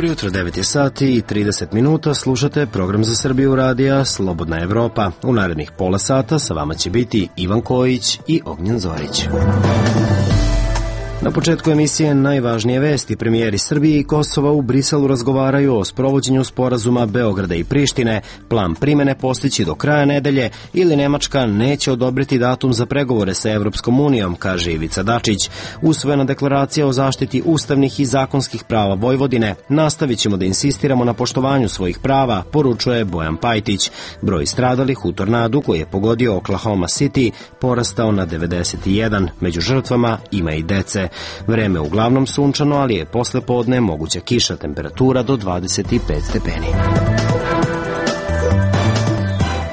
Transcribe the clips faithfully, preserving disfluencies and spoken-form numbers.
Dobro jutro, devet je sati i trideset minuta, slušate program za Srbiju radija Slobodna Evropa. U narednih pola sata sa vama će biti Ivan Kojić i Ognjen Zorić. Na početku emisije najvažnije vesti. Premijeri Srbije i Kosova u Briselu razgovaraju o sprovođenju sporazuma Beograda i Prištine, plan primene postići do kraja nedelje ili Nemačka neće odobriti datum za pregovore sa Evropskom unijom, kaže Ivica Dačić. Usvojena deklaracija o zaštiti ustavnih i zakonskih prava Vojvodine. Nastavit ćemo da insistiramo na poštovanju svojih prava, poručuje Bojan Pajtić. Broj stradalih u tornadu koji je pogodio Oklahoma City porastao na devedeset jedan. Među žrtvama ima i dece. Vreme uglavnom sunčano, ali je posle podne moguća kiša, temperatura do dvadeset pet stepeni.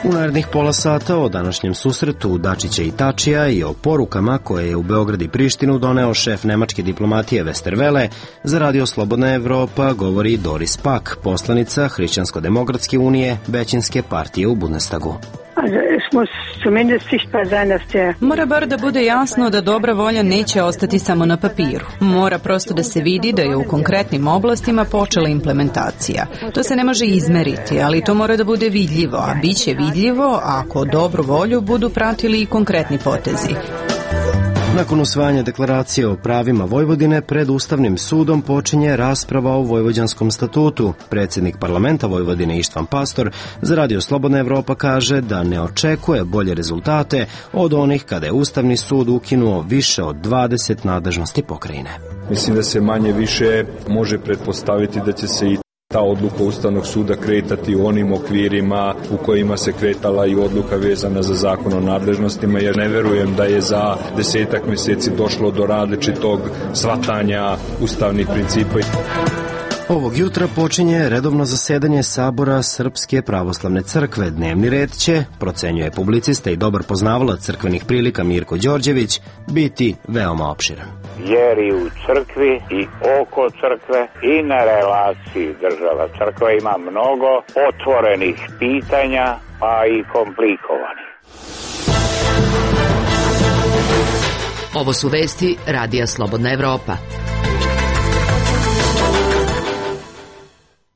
U narednih pola sata o današnjem susretu Dačića i Tačija i o porukama koje je u Beograd i Prištinu doneo šef nemačke diplomatije Westerwelle, za Radio Slobodna Evropa govori Doris Pack, poslanica Hrišćansko-demokratske unije, većinske partije u Bundestagu. Mora bar da bude jasno da dobra volja neće ostati samo na papiru. Mora prosto da se vidi da je u konkretnim oblastima počela implementacija. To se ne može izmeriti, ali to mora da bude vidljivo, a bit će vidljivo ako dobru volju budu pratili i konkretni potezi. Nakon usvajanja deklaracije o pravima Vojvodine, pred Ustavnim sudom počinje rasprava o Vojvođanskom statutu. Predsjednik parlamenta Vojvodine Ištvan Pastor za Radio Slobodna Evropa kaže da ne očekuje bolje rezultate od onih kada je Ustavni sud ukinuo više od dvadeset nadležnosti pokrajine. Mislim da se manje više može pretpostaviti da će se i ta odluka Ustavnog suda kretati u onim okvirima u kojima se kretala i odluka vezana za zakon o nadležnostima, jer ne verujem da je za desetak mjeseci došlo do različitog shvatanja ustavnih principa. Ovog jutra počinje redovno zasedanje Sabora Srpske pravoslavne crkve. Dnevni red će, procenjuje publicista i dobar poznavalac crkvenih prilika Mirko Đorđević, biti veoma opširan. Jer i u crkvi i oko crkve i na relaciji država crkva ima mnogo otvorenih pitanja, pa i komplikovanih. Ovo su vesti Radija Slobodna Evropa.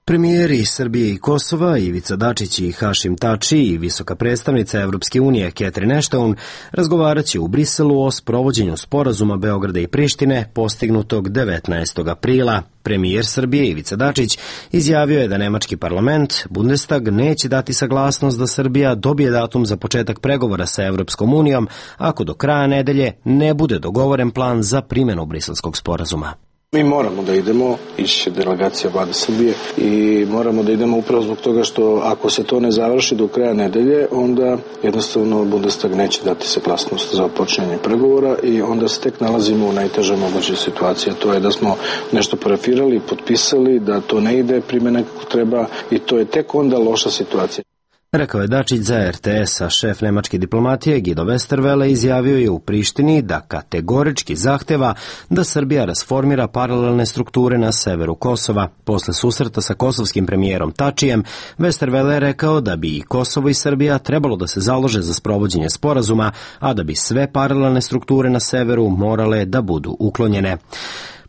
Premijeri Srbije i Kosova, Ivica Dačić i Hašim Tači i visoka predstavnica Evropske unije Catherine Ashton razgovarat će u Briselu o sprovođenju sporazuma Beograda i Prištine postignutog devetnaestog aprila. Premijer Srbije Ivica Dačić izjavio je da nemački parlament, Bundestag, neće dati saglasnost da Srbija dobije datum za početak pregovora sa Evropskom unijom ako do kraja nedelje ne bude dogovoren plan za primjenu briselskog sporazuma. Mi moramo da idemo, ići će delegacija vlade Srbije i moramo da idemo upravo zbog toga što ako se to ne završi do kraja nedelje, onda jednostavno Bundestag neće dati saglasnost za počinjanje pregovora i onda se tek nalazimo u najtežoj mogućoj situaciji. To je da smo nešto parafirali, potpisali, da to ne ide primjena kako treba i to je tek onda loša situacija. Rekao je Dačić za er te es, a šef nemačke diplomatije Guido Westerwelle izjavio je u Prištini da kategorički zahteva da Srbija rasformira paralelne strukture na severu Kosova. Posle susreta sa kosovskim premijerom Tačijem, Westerwelle je rekao da bi i Kosovo i Srbija trebalo da se založe za sprovođenje sporazuma, a da bi sve paralelne strukture na severu morale da budu uklonjene.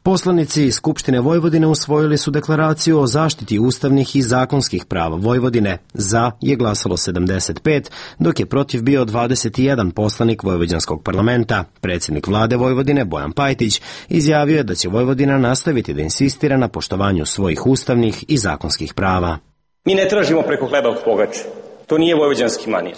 Poslanici Skupštine Vojvodine usvojili su deklaraciju o zaštiti ustavnih i zakonskih prava Vojvodine. Za je glasalo sedamdeset pet, dok je protiv bio dvadeset jedan poslanik Vojvođanskog parlamenta. Predsjednik vlade Vojvodine Bojan Pajtić izjavio je da će Vojvodina nastaviti da insistira na poštovanju svojih ustavnih i zakonskih prava. Mi ne tražimo preko hleba pogače. To nije vojvođanski manir.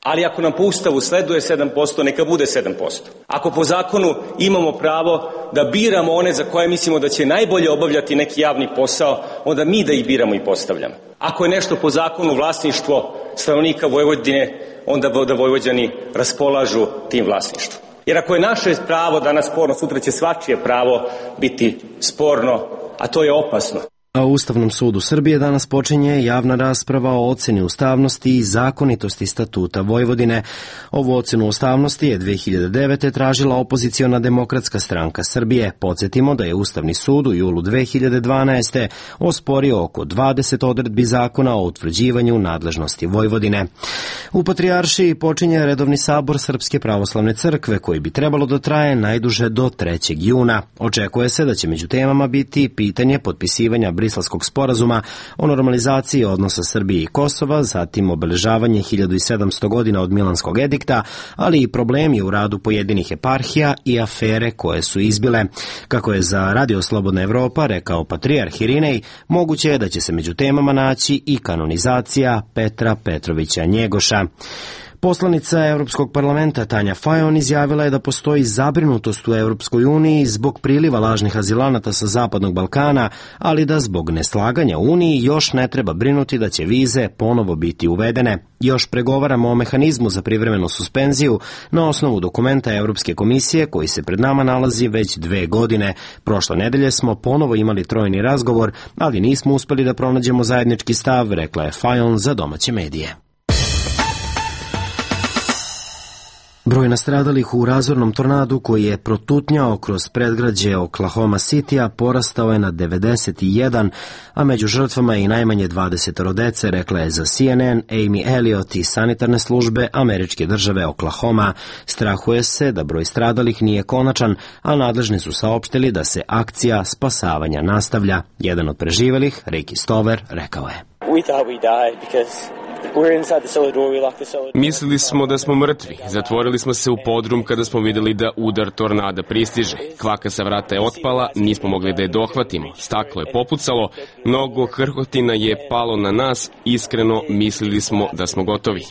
Ali ako nam po Ustavu sleduje sedam posto, neka bude sedam posto. Ako po zakonu imamo pravo da biramo one za koje mislimo da će najbolje obavljati neki javni posao, onda mi da ih biramo i postavljamo. Ako je nešto po zakonu vlasništvo stanovnika Vojvodine, onda da Vojvođani raspolažu tim vlasništvom. Jer ako je naše pravo danas sporno, sutra će svačije pravo biti sporno, a to je opasno. A u Ustavnom sudu Srbije danas počinje javna rasprava o oceni ustavnosti i zakonitosti statuta Vojvodine. Ovu ocenu ustavnosti je dve hiljade devete. tražila opoziciona Demokratska stranka Srbije. Podsjetimo da je Ustavni sud u julu dve hiljade dvanaeste. osporio oko dvadeset odredbi zakona o utvrđivanju nadležnosti Vojvodine. U Patrijaršiji počinje redovni sabor Srpske pravoslavne crkve koji bi trebalo da traje najduže do trećeg juna. Očekuje se da će među temama biti pitanje potpisivanja briselskog sporazuma o normalizaciji odnosa Srbije i Kosova, zatim obeležavanje hiljadu sedamsto godina od Milanskog edikta, ali i problemi u radu pojedinih eparhija i afere koje su izbile. Kako je za Radio Slobodna Evropa rekao patrijarh Irinej, moguće je da će se među temama naći i kanonizacija Petra Petrovića Njegoša. Poslanica Evropskog parlamenta Tanja Fajon izjavila je da postoji zabrinutost u Evropskoj uniji zbog priliva lažnih azilanata sa Zapadnog Balkana, ali da zbog neslaganja u Uniji još ne treba brinuti da će vize ponovo biti uvedene. Još pregovaramo o mehanizmu za privremenu suspenziju na osnovu dokumenta Evropske komisije koji se pred nama nalazi već dve godine. Prošle nedelje smo ponovo imali trojni razgovor, ali nismo uspeli da pronađemo zajednički stav, rekla je Fajon za domaće medije. Broj nastradalih u razornom tornadu koji je protutnjao kroz predgrađe Oklahoma Citya porastao je na devedeset jedan, a među žrtvama je i najmanje dvadeset dece, rekla je za C N N Amy Elliott iz sanitarne službe američke države Oklahoma. Strahuje se da broj stradalih nije konačan, a nadležni su saopštili da se akcija spasavanja nastavlja. Jedan od preživelih, Ricky Stover, rekao je: Mislili smo da smo mrtvi. Zatvorili smo se u podrum kada smo vidjeli da udar tornada pristiže. Kvaka sa vrata je otpala, nismo mogli da je dohvatimo. Staklo je popucalo, mnogo krhotina je palo na nas. Iskreno, mislili smo da smo gotovi.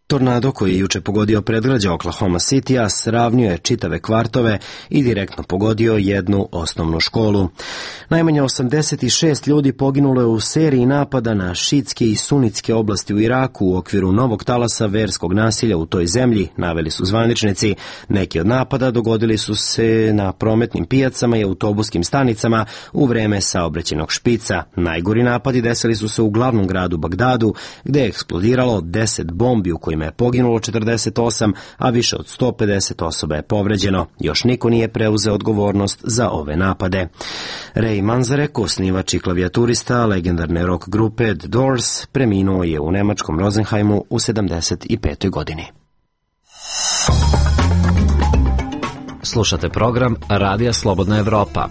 Tornado koji je juče pogodio predgrađe Oklahoma Citya sravnio je čitave kvartove i direktno pogodio jednu osnovnu školu. Najmanje osamdeset šest ljudi poginulo je u seriji napada na šiitske i sunitske oblasti u Iraku u okviru novog talasa verskog nasilja u toj zemlji, naveli su zvaničnici. Neki od napada dogodili su se na prometnim pijacama i autobuskim stanicama u vreme saobraćajnog špica. Najgori napadi desili su se u glavnom gradu Bagdadu, gde je eksplodiralo deset bombi u kojima je poginulo četrdeset osam, a više od sto pedeset osoba je povređeno. Još niko nije preuzeo odgovornost za ove napade. Ray Manzarek, osnivač i klavijaturista legendarne rock grupe The Doors, preminuo je u nemačkom Rosenheimu u sedamdeset petoj godini. Slušate program Radija Slobodna Evropa.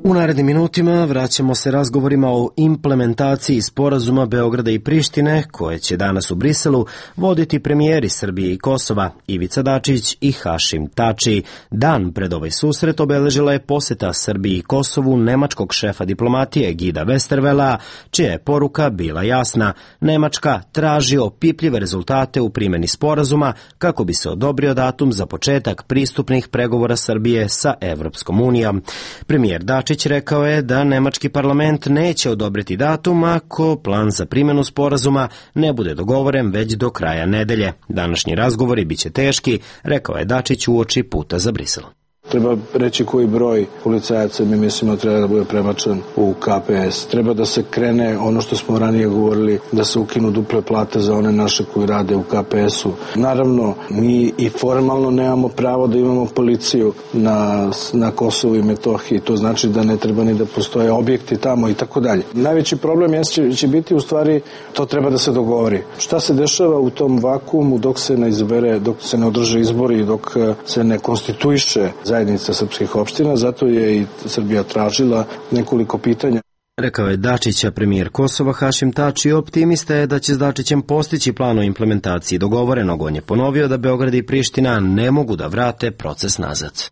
U narednim minutima vraćamo se razgovorima o implementaciji sporazuma Beograda i Prištine, koje će danas u Briselu voditi premijeri Srbije i Kosova, Ivica Dačić i Hašim Tači. Dan pred ovaj susret obeležila je poseta Srbiji i Kosovu nemačkog šefa diplomatije Gida Westervela, čija je poruka bila jasna. Nemačka traži opipljive rezultate u primjeni sporazuma kako bi se odobrio datum za početak pristupnih pregovora Srbije sa Evropskom unijom. Premijer Dačić rekao je da nemački parlament neće odobriti datum ako plan za primjenu sporazuma ne bude dogovoren već do kraja nedelje. Današnji razgovori biće teški, rekao je Dačić uoči puta za Brisel. Treba reći koji broj policajaca mi mislimo treba da bude prebačen u K P S. Treba da se krene ono što smo ranije govorili, da se ukinu duple plate za one naše koji rade u K P S-u. Naravno, mi i formalno nemamo pravo da imamo policiju na, na Kosovu i Metohiji. To znači da ne treba ni da postoje objekti tamo i tako dalje. Najveći problem je, će, će biti u stvari to treba da se dogovori. Šta se dešava u tom vakuumu dok se ne izbere, dok se ne održe izbori i dok se ne konstituiše zajednica srpskih opština, zato je i Srbija tražila nekoliko pitanja. Rekao je Dačića premijer Kosova Hašim Tači, optimista je da će s Dačićem postići plan o implementaciji dogovorenog. On je ponovio da Beograd i Priština ne mogu da vrate proces nazad.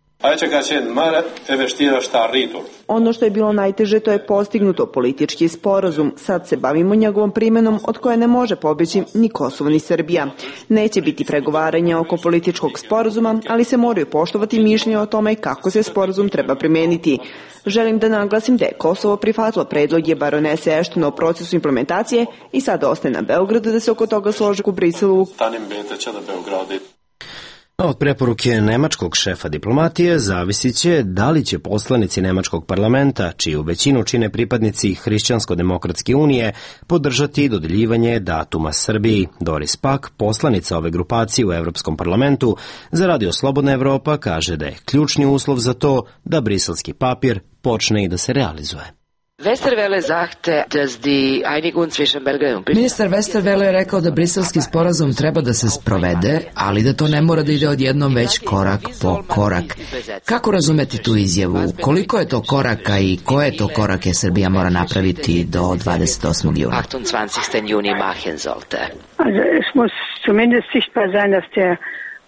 Ono što je bilo najteže to je postignuto politički sporazum. Sad se bavimo njegovom primjenom od koje ne može pobjeći ni Kosovo ni Srbija. Neće biti pregovaranja oko političkog sporazuma, ali se moraju poštovati mišljenje o tome kako se sporazum treba primijeniti. Želim da naglasim da je Kosovo prihvatilo predloge baronese Ashton o procesu implementacije i sad ostaje na Beogradu da se oko toga složi u Briselu. Od preporuke nemačkog šefa diplomatije zavisit će da li će poslanici nemačkog parlamenta, čiju većinu čine pripadnici Hrišćansko-demokratske unije, podržati dodeljivanje datuma Srbiji. Doris Pak, poslanica ove grupacije u Evropskom parlamentu, za Radio Slobodna Evropa kaže da je ključni uslov za to da briselski papir počne i da se realizuje. Westerwelle sagte, dass die Einigung zwischen Belgien und Ministar Westerwelle je rekao da briselski sporazum treba da se sprovede, ali da to ne mora da ide odjednom već korak po korak. Kako razumeti tu izjavu? Koliko je to koraka i koje to korake Srbija mora napraviti do dvadeset osmog juna? achtundzwanzigsten Juni machen sollte. Also es muss zumindest sichtbar sein, dass der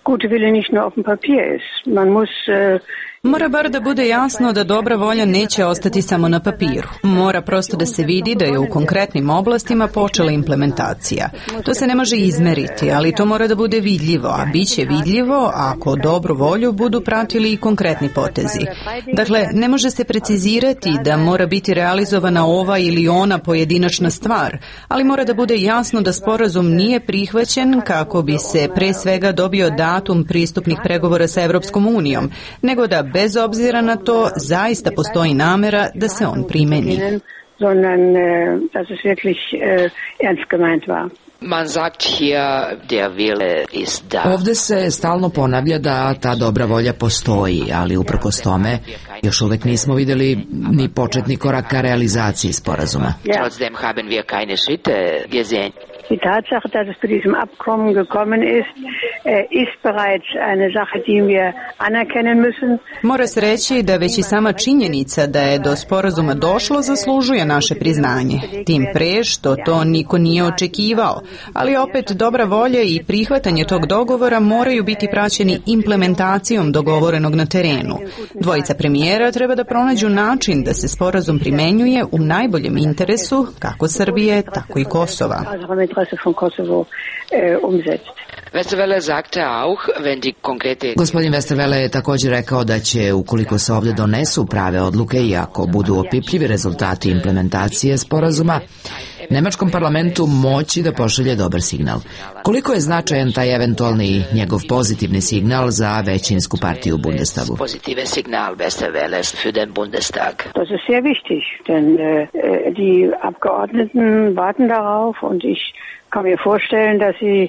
gute Wille nicht nur auf dem Papier ist. Man muss äh, Mora bar da bude jasno da dobra volja neće ostati samo na papiru. Mora prosto da se vidi da je u konkretnim oblastima počela implementacija. To se ne može izmeriti, ali to mora da bude vidljivo, a bit će vidljivo ako dobru volju budu pratili i konkretni potezi. Dakle, ne može se precizirati da mora biti realizovana ova ili ona pojedinačna stvar, ali mora da bude jasno da sporazum nije prihvaćen kako bi se pre svega dobio datum pristupnih pregovora sa Evropskom unijom, nego da bez obzira na to zaista postoji namera da se on primeni. Man sagt hier, der Wille ist da. Ovde se stalno ponavlja da ta dobra volja postoji, ali uprkos tome još uvek nismo videli ni početni korak ka realizaciji sporazuma. Trotzdem haben wir keine Schritte gesehen. Die Tatsache, dass es zu diesem Abkommen gekommen ist, ist bereits eine Sache, die wir anerkennen müssen. Mora se reći da već i sama činjenica da je do sporazuma došlo zaslužuje naše priznanje. Tim pre što to niko nije očekivao, ali opet dobra volja i prihvatanje tog dogovora moraju biti praćeni implementacijom dogovorenog na terenu. Dvojica premijera treba da pronađu način da se sporazum primenjuje u najboljem interesu kako Srbije, tako i Kosova. Westerwelle sagte auch, wenn die konkrete... Gospodin Westerwelle je također rekao da će, ukoliko se ovdje donesu prave odluke i ako budu opipljivi rezultati implementacije sporazuma, nemačkom parlamentu moći da pošalje dobar signal. Koliko je značajan taj eventualni njegov pozitivni signal za većinsku partiju u Bundestagu? Positive Signal Westerwelles für den Bundestag. Das ist sehr wichtig, denn äh, die Abgeordneten warten darauf und ich kann mir vorstellen, dass sie,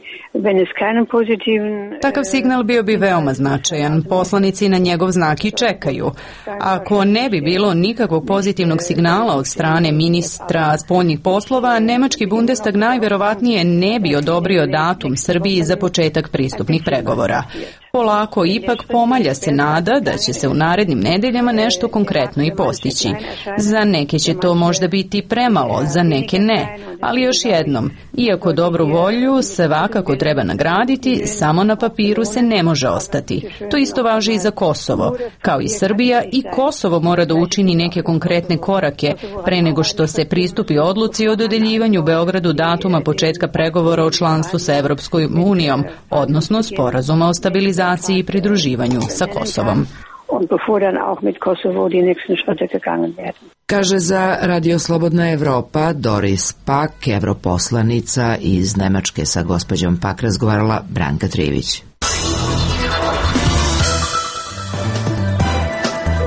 wenn es keinen positiven... Takav signal bio bi veoma značajan. Poslanici na njegov znak i čekaju. Ako ne bi bilo nikakvog pozitivnog signala od strane ministra spoljnih poslova, nemački Bundestag najverovatnije ne bi odobrio datum Srbiji za početak pristupnih pregovora. Polako ipak pomalja se nada da će se u narednim nedeljama nešto konkretno i postići. Za neke će to možda biti premalo, za neke ne. Ali još jednom, iako dobru volju svakako treba nagraditi, samo na papiru se ne može ostati. To isto važi i za Kosovo. Kao i Srbija, i Kosovo mora da učini neke konkretne korake pre nego što se pristupi odluci o dodeljivanju Beogradu datuma početka pregovora o članstvu sa Evropskom unijom, odnosno sporazuma o stabilizaciji i pridruživanju sa Kosovom. Kaže za Radio Slobodna Evropa Doris Pak, evroposlanica iz Nemačke. Sa gospođom Pak razgovarala Branka Trivić.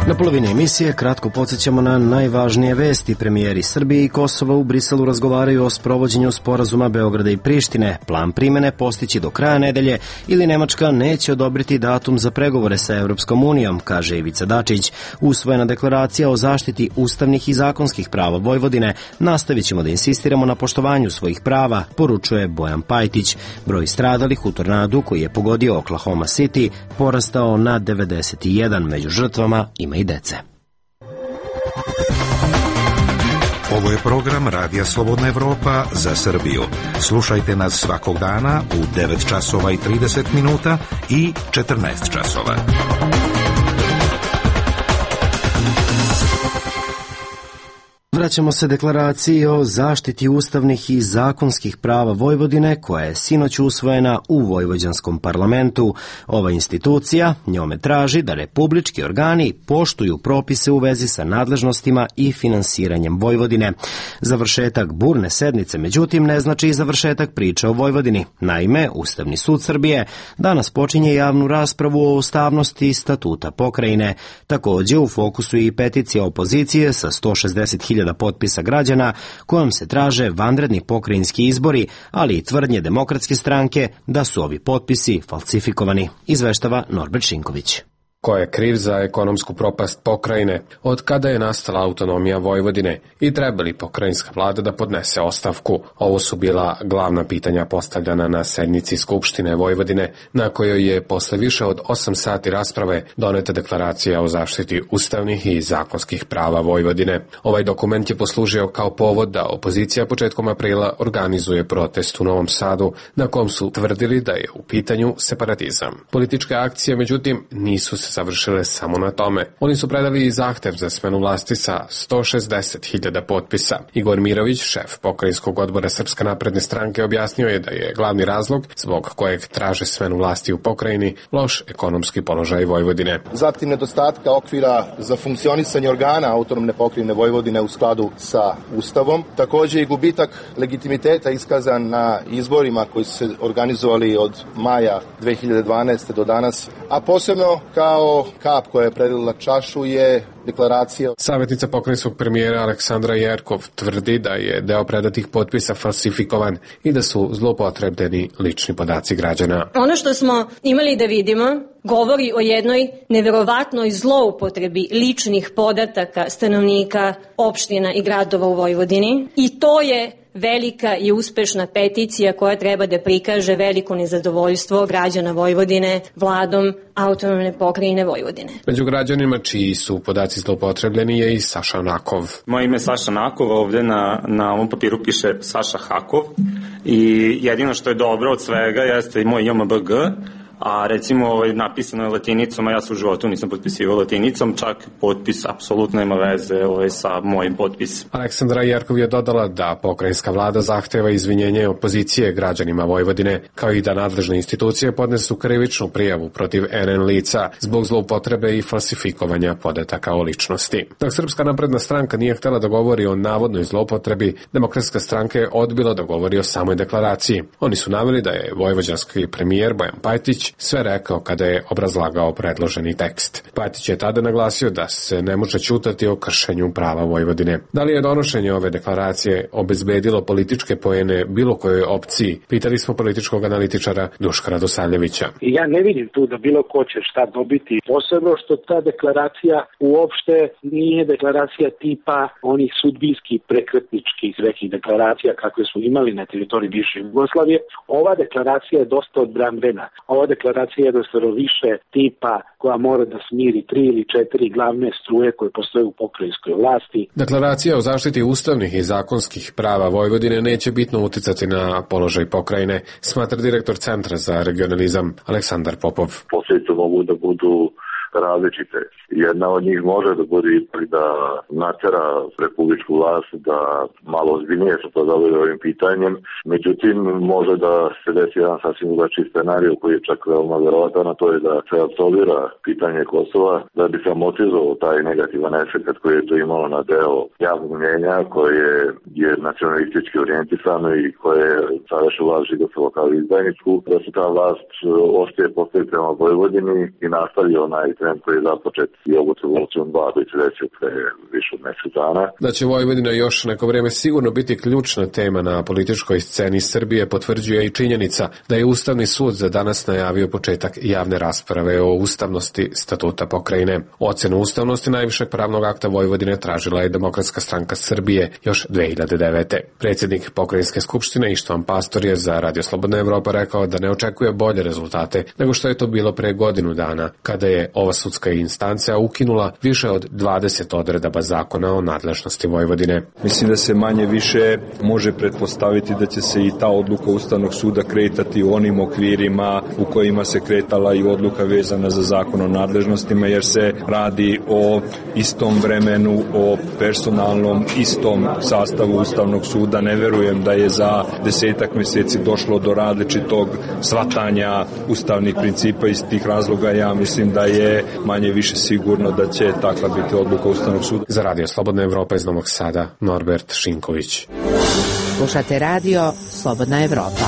Na polovini emisije kratko podsjećamo na najvažnije vesti. Premijeri Srbije i Kosova u Briselu razgovaraju o sprovođenju sporazuma Beograda i Prištine. Plan primene postići do kraja nedelje ili Nemačka neće odobriti datum za pregovore sa Evropskom unijom, kaže Ivica Dačić. Usvojena deklaracija o zaštiti ustavnih i zakonskih prava Vojvodine. Nastavit ćemo da insistiramo na poštovanju svojih prava, poručuje Bojan Pajtić. Broj stradalih u tornadu koji je pogodio Oklahoma City porastao na devedeset jedan. Među žrtvama ima i dece. Ovo je program Radija Slobodna Evropa za Srbiju. Slušajte nas svakog dana u devet časova i trideset minuta i četrnaest časova. Vraćamo se deklaraciji o zaštiti ustavnih i zakonskih prava Vojvodine, koja je sinoć usvojena u vojvođanskom parlamentu. Ova institucija njome traži da republički organi poštuju propise u vezi sa nadležnostima i finansiranjem Vojvodine. Završetak burne sednice, međutim, ne znači i završetak priče o Vojvodini. Naime, Ustavni sud Srbije danas počinje javnu raspravu o ustavnosti statuta pokrajine. Takođe, u fokusu je i peticija opozicije sa sto šezdeset hiljada potpisa građana kojom se traže vanredni pokrajinski izbori, ali i tvrdnje Demokratske stranke da su ovi potpisi falsifikovani, izveštava Norbert Šinković. Ko je kriv za ekonomsku propast pokrajine, od kada je nastala autonomija Vojvodine i treba li pokrajinska vlada da podnese ostavku? Ovo su bila glavna pitanja postavljana na sednici Skupštine Vojvodine, na kojoj je posle više od osam sati rasprave doneta deklaracija o zaštiti ustavnih i zakonskih prava Vojvodine. Ovaj dokument je poslužio kao povod da opozicija početkom aprila organizuje protest u Novom Sadu, na kom su tvrdili da je u pitanju separatizam. Političke akcije, međutim, nisu se završile samo na tome. Oni su predali i zahtev za smenu vlasti sa sto šezdeset hiljada potpisa. Igor Mirović, šef pokrajinskog odbora Srpske napredne stranke, objasnio je da je glavni razlog zbog kojeg traže smenu vlasti u pokrajini loš ekonomski položaj Vojvodine. Zatim nedostatka okvira za funkcionisanje organa autonomne pokrajine Vojvodine u skladu sa Ustavom. Takođe i gubitak legitimiteta iskazan na izborima koji su se organizovali od maja dve hiljade dvanaeste. do danas, a posebno kao kap koja je prelila čašu je deklaracija. Savjetnica pokrajinskog premijera Aleksandra Jerkov tvrdi da je deo predatih potpisa falsifikovan i da su zloupotrebljeni lični podaci građana. Ono što smo imali da vidimo govori o jednoj neverovatnoj zloupotrebi ličnih podataka stanovnika opština i gradova u Vojvodini i to je velika i uspešna peticija koja treba da prikaže veliko nezadovoljstvo građana Vojvodine vladom autonomne pokrajine Vojvodine. Među građanima čiji su podaci zloupotrebljeni je i Saša Nakov. Moje ime je Saša Nakov, ovde na, na ovom papiru piše Saša Hakov i jedino što je dobro od svega jeste i moj J M B G, a recimo ovaj, napisano je latinicom, a ja se u životu nisam potpisivao latinicom, čak potpis apsolutno nema veze ovaj, sa mojim potpisom. Aleksandra Jerkov je dodala da pokrajinska vlada zahteva izvinjenje opozicije građanima Vojvodine, kao i da nadležne institucije podnesu krivičnu prijavu protiv N N lica zbog zloupotrebe i falsifikovanja podataka o ličnosti. Dok Srpska napredna stranka nije htela da govori o navodnoj zloupotrebi, Demokratska stranka je odbila da govori o samoj deklaraciji. Oni su naveli da je vojvođanski premijer Bojan Pajtić sve rekao kada je obrazlagao predloženi tekst. Pajtić je tada naglasio da se ne može ćutati o kršenju prava Vojvodine. Da li je donošenje ove deklaracije obezbedilo političke poene bilo kojoj opciji? Pitali smo političkog analitičara Duška Radosavljevića. Ja ne vidim tu da bilo ko će šta dobiti, posebno što ta deklaracija uopšte nije deklaracija tipa onih sudbinskih prekretničkih nekih deklaracija kakve su imali na teritoriji bivše Jugoslavije. Ova deklaracija je dosta odbrambena. Ova deklaracija je jednostavno više tipa koja mora da smiri tri ili četiri glavne struje koje postoje u pokrajinskoj vlasti. Deklaracija o zaštiti ustavnih i zakonskih prava Vojvodine neće bitno uticati na položaj pokrajine, smatra direktor Centra za regionalizam Aleksandar Popov. Posljedice mogu da budu različite. Jedna od njih može da bude i da natera republičku vlast da malo ozbiljnije se pozabavi ovim pitanjem. Međutim, može da se desi jedan sasvim drugačiji scenarij koji je čak veoma verovatan, a to je da se apsolvira pitanje Kosova, da bi se amortizovao taj negativan efekt koji je to imalo na deo javnog mnjenja koje je nacionalistički orijentisano i koje je sadašnju vlast žigosalo kao izdajničku, da se ta vlast ostaje postaviti prema Vojvodini i nastavi onaj trend koji je započet i ovu revolucijom dva koji se desio pre više od mesec dana. Da će Vojvodina još neko vreme sigurno biti ključna tema na političkoj sceni Srbije potvrđuje i činjenica da je Ustavni sud za danas najavio početak javne rasprave o ustavnosti statuta pokrajine. Ocenu ustavnosti najvišeg pravnog akta Vojvodine tražila je Demokratska stranka Srbije još dve hiljade devete. Predsjednik pokrajinske skupštine Ištvan Pastor je za Radio Slobodna Evropa rekao da ne očekuje bolje rezultate nego što je to bilo pre godinu dana, kada je ova sudska instancija ukinula više od dvadeset odredaba zakona o nadležnosti Vojvodine. Mislim da se manje više može pretpostaviti da će se i ta odluka Ustavnog suda kretati u onim okvirima u kojima se kretala i odluka vezana za zakon o nadležnostima, jer se radi o istom vremenu, o personalnom istom sastavu Ustavnog suda. Ne verujem da je za desetak meseci došlo do različitog shvatanja ustavnih principa. Iz tih razloga ja mislim da je manje više sigurno da će takva biti odluka Ustavnog suda. Za Radio Slobodna Evropa iz Novog Sada, Norbert Šinković. Slušate radio Slobodna Evropa.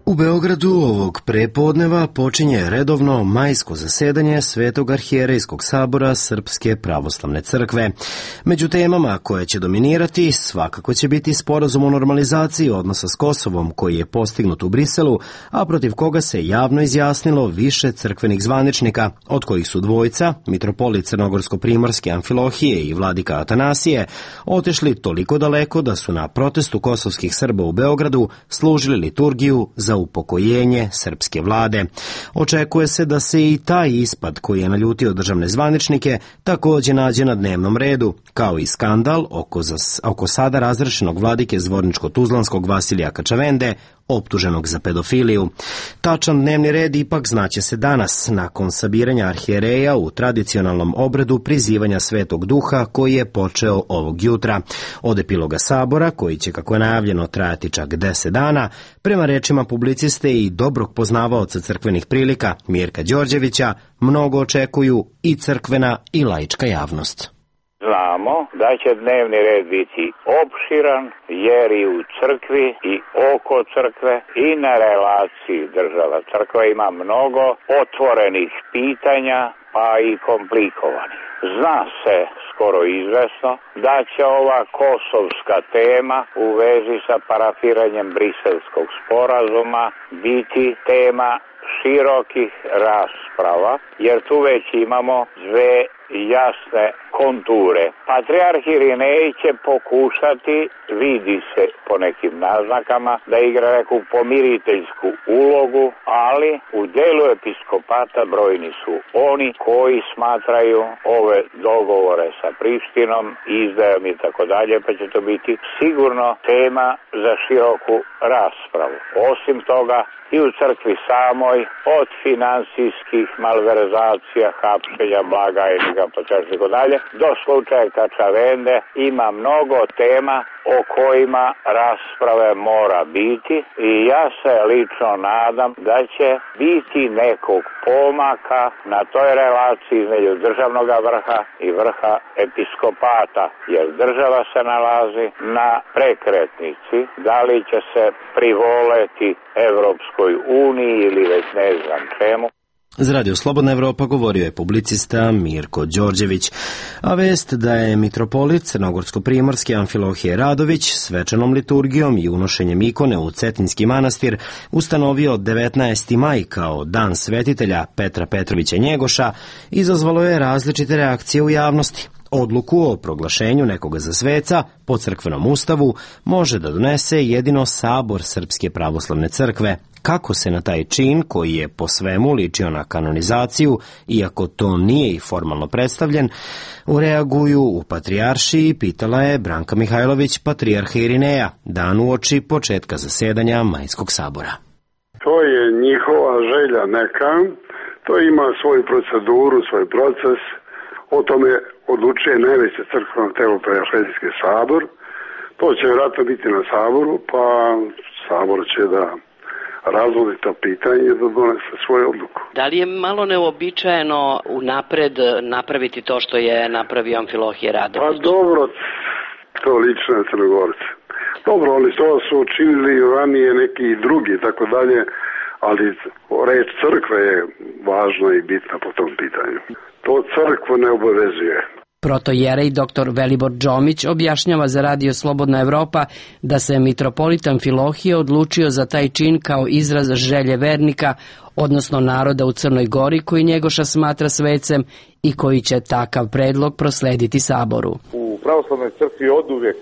U U Beogradu ovog prepodneva počinje redovno majsko zasedanje Svetog arhijerejskog sabora Srpske pravoslavne crkve. Među temama koje će dominirati svakako će biti sporazum o normalizaciji odnosa s Kosovom koji je postignut u Briselu, a protiv koga se javno izjasnilo više crkvenih zvaničnika, od kojih su dvojica, mitropolit Crnogorsko-primorske Amfilohije i vladika Atanasije, otešli toliko daleko da su na protestu kosovskih Srba u Beogradu služili liturgiju za upokojenje srpske vlade. Očekuje se da se i taj ispad koji je naljutio državne zvaničnike takođe nađe na dnevnom redu, kao i skandal oko, zas, oko sada razrešenog vladike Zvorničko-Tuzlanskog Vasilija Kačavende, optuženog za pedofiliju. Tačan dnevni red ipak znaće se danas, nakon sabiranja arhijereja u tradicionalnom obredu prizivanja Svetog Duha koji je počeo ovog jutra. Od epiloga sabora, koji će, kako je najavljeno, trajati čak deset dana, prema rečima publiciste i dobrog poznavaoca crkvenih prilika Mirka Đorđevića, mnogo očekuju i crkvena i laička javnost. Znamo da će dnevni red biti opširan, jer i u crkvi i oko crkve i na relaciji država crkva ima mnogo otvorenih pitanja, pa i komplikovanih. Zna se skoro izvesno da će ova kosovska tema u vezi sa parafiranjem Briselskog sporazuma biti tema širokih rasprava, jer tu već imamo dve jasne konture. Patrijarh Irinej će pokušati, vidi se po nekim naznakama, da igra neku pomiriteljsku ulogu, ali u delu episkopata brojni su oni koji smatraju ove dogovore sa Prištinom, izdajom i tako dalje, pa će to biti sigurno tema za široku raspravu. Osim toga, i u crkvi samoj, od finansijskih malverzacija, hapšenja, blagajnika, pa tako dalje, do slučaja Kačavende, ima mnogo tema o kojima rasprave mora biti i ja se lično nadam da će biti nekog pomaka na toj relaciji između državnog vrha i vrha episkopata, jer država se nalazi na prekretnici, da li će se privoleti Evropskoj uniji ili već ne znam čemu. Za Radio Slobodna Evropa govorio je publicista Mirko Đorđević, a vest da je mitropolit Crnogorsko-primorske Amfilohije Radović svečanom liturgijom i unošenjem ikone u Cetinski manastir ustanovio devetnaesti maj kao dan svetitelja Petra Petrovića Njegoša, izazvalo je različite reakcije u javnosti. Odluku o proglašenju nekoga za sveca po crkvenom ustavu može da donese jedino Sabor Srpske pravoslavne crkve. Kako se na taj čin, koji je po svemu ličio na kanonizaciju, iako to nije i formalno predstavljen, ureaguju u patrijaršiji, pitala je Branka Mihajlović, patrijarha Irineja, dan uoči početka zasedanja Majskog sabora. To je njihova želja neka, to ima svoju proceduru, svoj proces, o tome odlučuje najveće crkveno telo, Patrijaršijski sabor. To će vjerojatno biti na saboru, pa sabor će da razvodi to pitanje da donese svoju odluku. Da li je malo neobičajeno unapred napraviti to što je napravio Amfilohije Radović? Pa dobro, to lično je Crnogorce. Dobro, oni to su učinili ranije neki drugi, tako dalje, ali reč crkve je važna i bitna po tom pitanju. To crkvu ne obavezuje. Protojerej dr Velibor Džomić objašnjava za Radio Slobodna Evropa da se mitropolit Amfilohije odlučio za taj čin kao izraz želje vernika, odnosno naroda u Crnoj Gori koji Njegoša smatra svecem i koji će takav predlog proslediti saboru. U pravoslavnoj crkvi oduvijek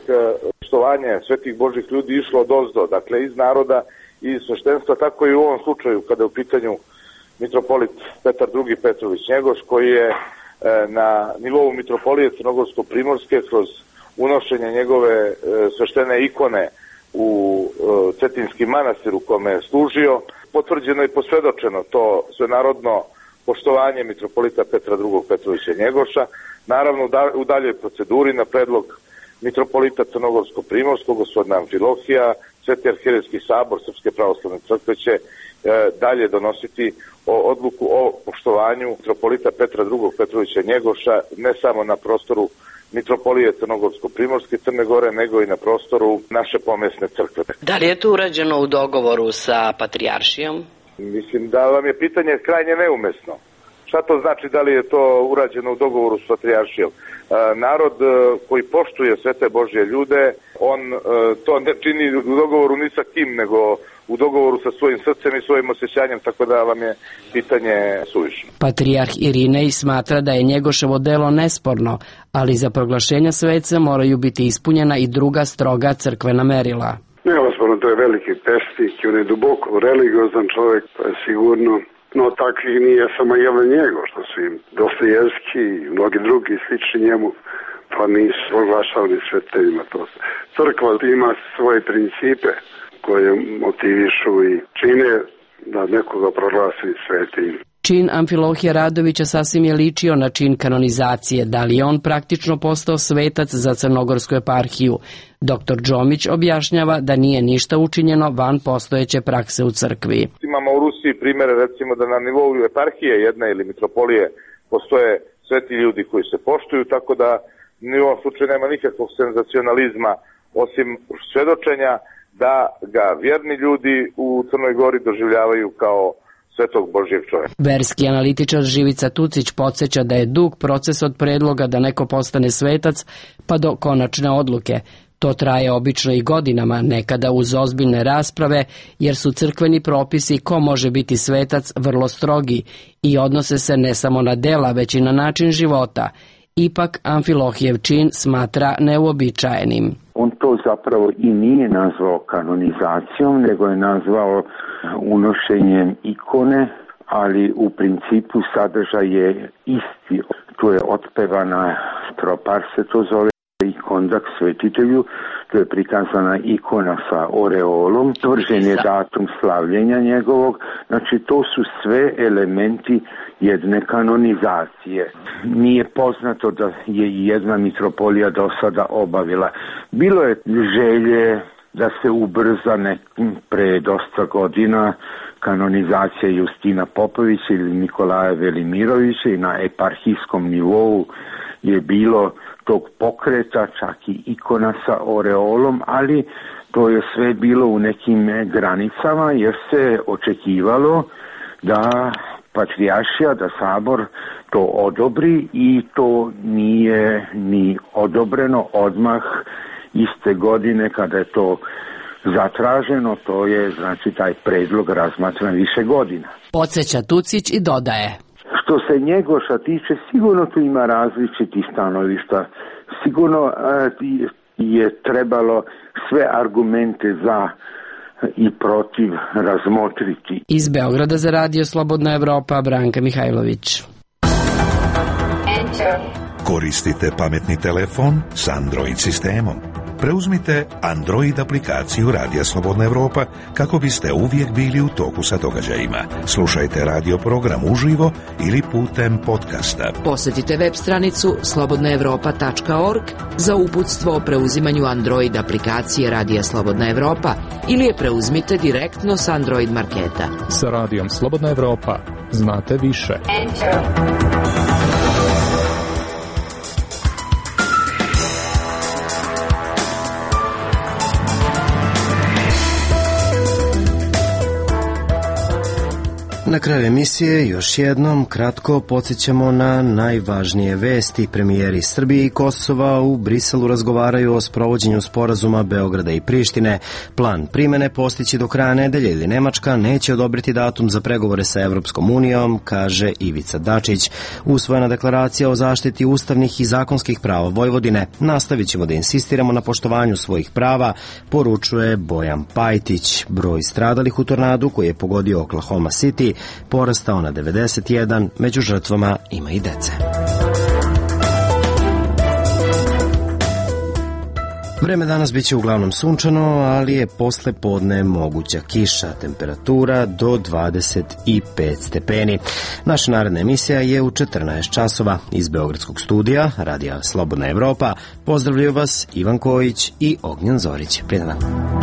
poštovanje svetih božih ljudi išlo od ozdo, dakle iz naroda i iz sveštenstva, tako i u ovom slučaju kada je u pitanju mitropolit Petar drugi Petrović Njegoš, koji je na nivou mitropolije Crnogorsko-primorske kroz unošenje njegove sveštene ikone u Cetinski manastir u kome je služio, potvrđeno i posvedočeno to svenarodno poštovanje mitropolita Petra drugog Petrovića Njegoša, naravno u daljoj proceduri na predlog mitropolita Crnogorsko-primorskog gospodina Amfilohija, Sveti arhijerejski sabor Srpske pravoslavne crkve će dalje donositi odluku o poštovanju mitropolita Petra drugog Petrovića Njegoša ne samo na prostoru mitropolije Crnogorsko-Primorske Crne Gore, nego i na prostoru naše pomesne crkve. Da li je to urađeno u dogovoru sa patrijaršijom? Mislim da vam je pitanje krajnje neumesno. Šta to znači da li je to urađeno u dogovoru s patrijaršijom? E, narod e, koji poštuje sve te Božje ljude, on e, to ne čini u dogovoru ni sa kim, nego u dogovoru sa svojim srcem i svojim osjećanjem, tako da vam je pitanje suvišno. Patrijarh Irinej smatra da je Njegoševo delo nesporno, ali za proglašenja sveca moraju biti ispunjena i druga stroga crkvena merila. Neosporno, to je veliki pesnik i on je duboko religiozan čovjek, to je sigurno. No takvih nije samo jedan njego, što su im Dostojevski i mnogi drugi slični njemu, pa nisu proglašavani sveteljima. To crkva ima svoje principe koje motivišu i čine da nekoga proglasi svetim. Čin Amfilohija Radovića sasvim je ličio na čin kanonizacije, da li je on praktično postao svetac za crnogorsku eparhiju. Doktor Džomić objašnjava da nije ništa učinjeno van postojeće prakse u crkvi. Imamo u Rusiji primere, recimo da na nivou eparhije jedne ili mitropolije postoje sveti ljudi koji se poštuju, tako da ni u ovom slučaju nema nikakvog senzacionalizma osim svedočenja da ga vjerni ljudi u Crnoj Gori doživljavaju kao svetog Božjeg čovjeka. Verski analitičar Živica Tucić podsjeća da je dug proces od predloga da neko postane svetac pa do konačne odluke. To traje obično i godinama, nekada uz ozbiljne rasprave, jer su crkveni propisi ko može biti svetac vrlo strogi i odnose se ne samo na dela, već i na način života. Ipak Amfilohijev čin smatra neuobičajenim. On to zapravo i nije nazvao kanonizacijom, nego je nazvao unošenjem ikone, ali u principu sadržaj je isti. To je otpevana tropar, se to zove, i kondak svetitelju, to je prikazana ikona sa oreolom, tvrđen je datum slavljenja njegovog, znači to su sve elementi jedne kanonizacije. Nije poznato da je i jedna mitropolija do sada obavila. Bilo je želje da se ubrza nek, pre dosta godina kanonizacija Justina Popovića ili Nikolaja Velimirovića i na eparhijskom nivou je bilo tog pokreta, čak i ikona sa oreolom, ali to je sve bilo u nekim granicama jer se očekivalo da patrijaršija, da sabor to odobri i to nije ni odobreno odmah iste godine kada je to zatraženo, to je znači taj predlog razmatran više godina. Podsjeća Tucić i dodaje. Što se Njegoša tiče, sigurno tu ima različitih stanovišta. Sigurno je trebalo sve argumente za i protiv razmotriti. Iz Beograda za Radio Slobodna Evropa, Branka Mihajlović. Koristite pametni telefon s Android sistemom. Preuzmite Android aplikaciju Radija Slobodna Evropa kako biste uvijek bili u toku sa događajima. Slušajte radio program uživo ili putem podcasta. Posjetite web stranicu slobodna evropa tačka org za uputstvo o preuzimanju Android aplikacije Radija Slobodna Evropa ili je preuzmite direktno s Android marketa. Sa Radijom Slobodna Evropa znate više. Enter. Na kraju emisije još jednom kratko podsjećamo na najvažnije vesti. Premijeri Srbije i Kosova u Briselu razgovaraju o sprovođenju sporazuma Beograda i Prištine. Plan primene postići do kraja nedelje ili Nemačka neće odobriti datum za pregovore sa Evropskom unijom, kaže Ivica Dačić. Usvojena deklaracija o zaštiti ustavnih i zakonskih prava Vojvodine. Nastavit ćemo da insistiramo na poštovanju svojih prava, poručuje Bojan Pajtić. Broj stradalih u tornadu koji je pogodio Oklahoma City porastao na devedeset jedan, među žrtvama ima i dece. Vreme danas biće uglavnom sunčano, ali je posle podne moguća kiša, temperatura do dvadeset pet stepeni. Naša naredna emisija je u četrnaest časova. Iz Beogradskog studija Radija Slobodna Evropa pozdravljaju vas Ivan Kojić i Ognjen Zorić. Prijedan dan.